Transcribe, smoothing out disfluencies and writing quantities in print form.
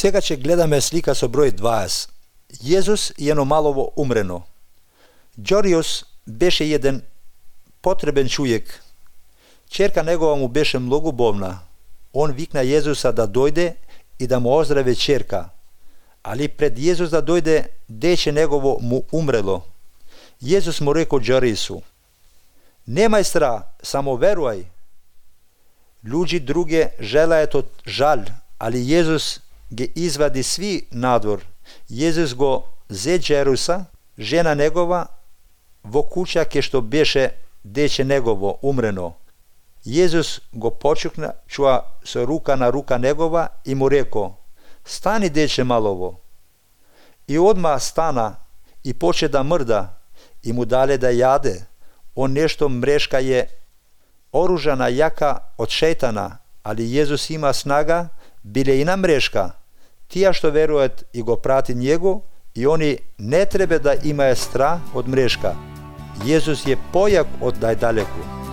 Сега ќе гледаме слика со број 20. Језус едно малово умрено. Ѓориос беше еден потребен човек. Черка негова му беше многу болна. Он викна Језуса да дојде и да му оздраве черка. Али пред Језус да дојде, дече негово му умрело. Језус му рекол Ѓориосу: "Немај страх, само верувај." Луѓе друге желаат од жал, али Језус ги извади сви надвор. Језус го зе Ѓориоса, жена негова, во куќа ке што беше дече негово умрено. Језус го почукна со рука на рука негова и му рекол: "Стани, дече малово." И одма стана и поче да мрда и му дале да јаде. Он нешто мрешка е оружана јака од шејтана, али Језус има снага, биле и на мрешка. Тие што веруваат и го прати него, и они не треба да имаат страх од мрешка. Језус е појак од најдалеку.